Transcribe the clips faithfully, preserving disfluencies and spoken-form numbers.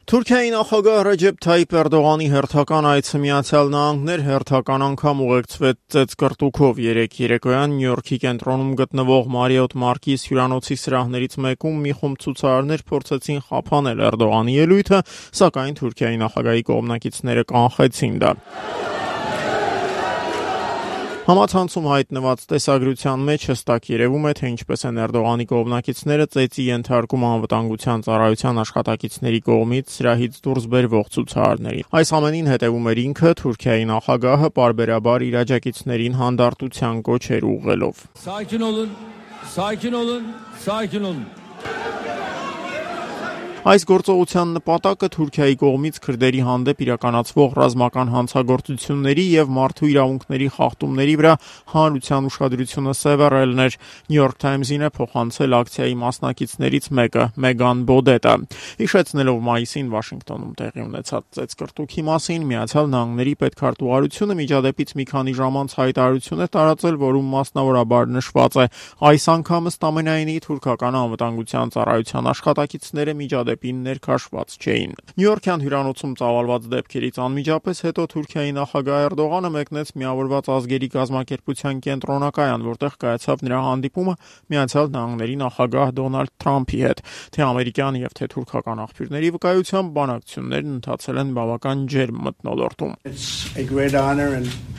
Թուրքիայի նախագահ Ռեջեփ Թայիփ Էրդողանի հերթական այցը Միացյալ Նահանգներ հերթական անգամ ուղեկցվեց ծեծկռտուքով։ Երեկ երեկոյան Նյու Յորքի կենտրոնում գտնվող Մարիոթ Մարկիս հյուրանոցի սրահներից մեկում մի խումբ ցուցարարներ փորձեցին խափանել Էրդողանի ելույթը, սակայն Թուրքիայի նախագահի կողմնակիցները կանխեցին դա։ Համացանցում հայտնված տեսագրության մեջ հստակ երևում է, թե ինչպես են Էրդողանի կողմնակիցները ծեծի ենթարկում անվտանգության ծառայության աշխատակիցների կողմից սրահից դուրս բերվող ցուցարարներին։ Այս ամենին հետևում էր ինքը, Թուրքիայի նախագահը, պարբերաբար իր աջակիցներին հանդարտության կոչեր ուղղելով։ Sakin olun, sakin olun, sakin olun. Այս գործողության նպատակը Թուրքիայի կողմից քրդերի հանդեպ իրականացվող ռազմական հանցագործությունների եւ մարդու իրավունքների խախտումների վրա հանրության ուշադրությունը սևեռելն էր։ New York Times-ին է փոխանցել ակցիայի մասնակիցներից մեկը՝ Մեգան Բոդետը։ Հիշեցնելով մայիսին Վաշինգտոնում տեղի ունեցած ծեծկռտուքի մասին, Միացյալ Նահանգների պետքարտուղարությունը միջադեպից մի քանի ժամ անց հայտարարություն է տարածել, որում մասնավորաբար նշված է. այս անգամ ըստ ամենայնի թուրքական անվտանգության ծառայության աշխատակիցները միջադեպին ներքաշված չէին։ Նյու Յորքյան հյուրանոցում ծավալված դեպքերից անմիջապես հետո Թուրքիայի նախագահ Էրդողանը մեկնեց Միավորված ազգերի կազմակերպության կենտրոնակայան, որտեղ կայացավ նրա հանդիպումը Միացյալ Նահանգների նախագահ Դոնալդ Թրամփի հետ։ Թե ամերիկյան եւ թե թուրքական աղբյուրների վկայությամբ բանակցություններն ընթացել են բավական ջերմ մթնոլորտում։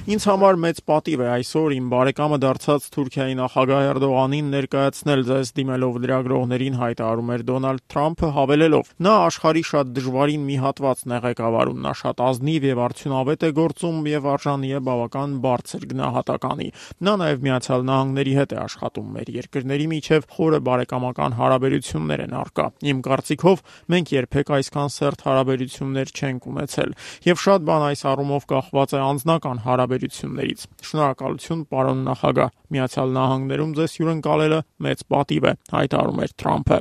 Ինձ համար մեծ պատիվ է այսօր իմ բարեկամը դարձած Թուրքիայի նախագահ Էրդողանին ներկայացնել ձեզ, դիմելով լրագրողներին հայտարարում էր Դոնալդ Թրամփը, հավելելով. նա աշխարհի շատ դժվարին մի հատվածն է ղեկավարում, նա շատ ազնիվ եւ արդյունավետ է գործում եւ արժանի է բավական բարձր գնահատականի։ Նա նաեւ Միացյալ Նահանգների հետ է աշխատում, մեր երկրների միջև խորը բարեկամական հարաբերություններ են առկա։ Իմ կարծիքով մենք երբեք այսքան սերտ հարաբերություններ չենք ունեցել եւ շատ բան այս առումով կախված է անձնական հարաբերություններից։ Շնորհակալություն, պարոն նախագահ, Միացյալ Նահանգներում ձեզ հյուրընկալելը մեծ պատիվ է, հայտարարում էր Թրամփը։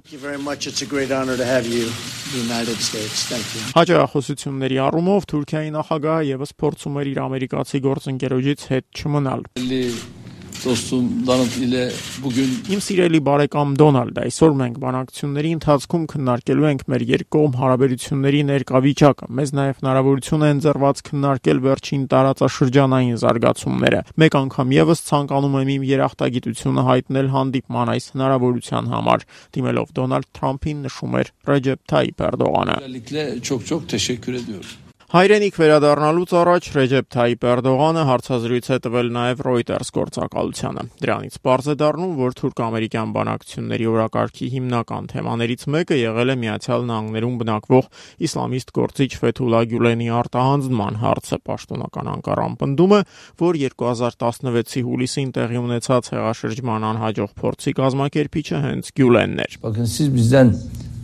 Հաջողությունների առումով Թուրքիայի նախագահը եւս փորձում էր իր ամերիկացի գործընկերոջից հետ չմնալ։ Իմ սիրելի բարեկամ Դոնալդ, այսօր մենք բանակցությունների ընթացքում քննարկելու ենք մեր երկկողմ հարաբերությունների ներկա վիճակը։ Մեզ նաև հնարավորություն է ընձեռված քննարկել վերջին տարածաշրջանային զարգացումները։ Մեկ անգամ եւս ցանկանում եմ իմ երախտագիտությունը հայտնել հանդիպման այս հնարավորության համար, դիմելով Դոնալդ Թրամփին նշում էր Ռեջեփ Թայիփ Էրդողանը։ Հայրենիք վերադառնալուց առաջ Ռեջեփ Թայիփ Էրդողանը հարցազրույց է տվել նաև Reuters գործակալությանը։ Դրանից պարզ է դառնում, որ թուրք-ամերիկյան բանակցությունների օրակարգի հիմնական թեմաներից մեկը եղել է Միացյալ Նահանգներում բնակվող իսլամիստ գործիչ Ֆեթուլա Գյուլենի արտահանձնման հարցը։ Պաշտոնական Անկարան պնդում է, որ երկու հազար տասնվեցի հուլիսին տեղի ունեցած հեղաշրջման անհաջող փորձի կազմակերպիչը հենց Գյուլենն էր։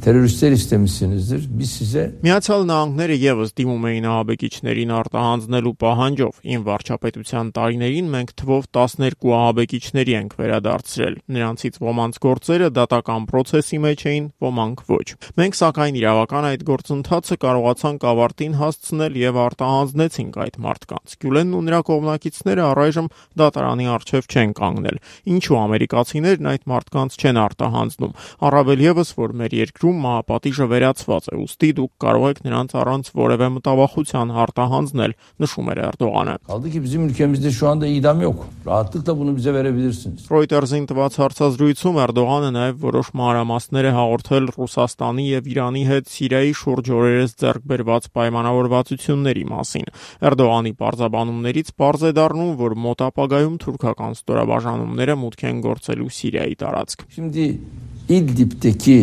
Teröristler istemişsinizdir. Biz size Միացյալ Նահանգները եւս դիմում էին ահաբեկիչներին արտահանձնելու պահանջով։ Իմ վարչապետության տարիներին մենք թվով տասներկու ահաբեկիչների ենք վերադարձրել։ Նրանցից ոմանց գործերը դատական process-ի մեջ էին, ոմանք ոչ։ Մենք սակայն իրավական այդ գործընթացը կարողացանք ավարտին հասցնել եւ արտահանձնեցինք այդ մարդկանց։ Գյուլենն ու նրա կողմնակիցները առայժմ դատարանի առջեւ չեն կանգնել։ Ինչու ամերիկացիներն այդ մարդկանց չեն արտահանձնում։ Առավել եւս, որ մեր երկրում մահապատիժը վերացված է, ուստի դուք կարող եք նրանց առանց որևէ մտավախության արտահանձնել, նշում էր Էրդողանը։ Kaldı ki bizim ülkemizde şu anda idam yok. Rahatlıkla bunu bize verebilirsiniz. Reuters-ին տված հարցազրույցում Էրդողանը նաև որոշ մանրամասներ է հաղորդել Ռուսաստանի եւ Իրանի հետ Սիրիայի շուրջ օրերս ձեռք բերված պայմանավորվածությունների մասին։ Էրդողանի պարզաբանումներից պարզ է դառնում, որ մոտ ապագայում թուրքական ստորաբաժանումները մուտք են գործելու Սիրիայի տարածք։ Şimdi İdlib'deki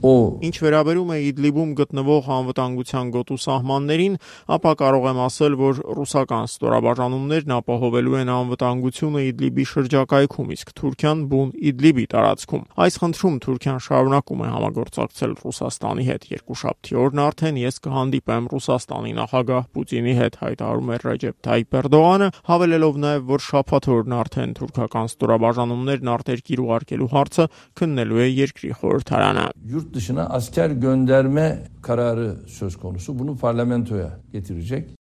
Ինչ վերաբերում է Իդլիբում գտնվող անվտանգության գոտու սահմաններին, ապա կարող եմ ասել, որ ռուսական ստորաբաժանումներն ապահովելու են անվտանգությունը Իդլիբի շրջակայքում, իսկ Թուրքիան բուն Իդլիբի տարածքում։ Այս խնդրում Թուրքիան շարունակում է համագործակցել Ռուսաստանի հետ։ Երկուշաբթի օրն արդեն ես կհանդիպեմ Ռուսաստանի նախագահ Պուտինի հետ, հայտարարում է Ռեջեփ Թայիփ Էրդողանը, հավելելով նաև, որ շաբաթ օրն արդեն թուրքական ստորաբաժանումներն արտերկիր ուղարկելու հարցը քննելու է երկրի խորհրդարանը։ Dışına asker gönderme kararı söz konusu. Bunu parlamentoya getirecek.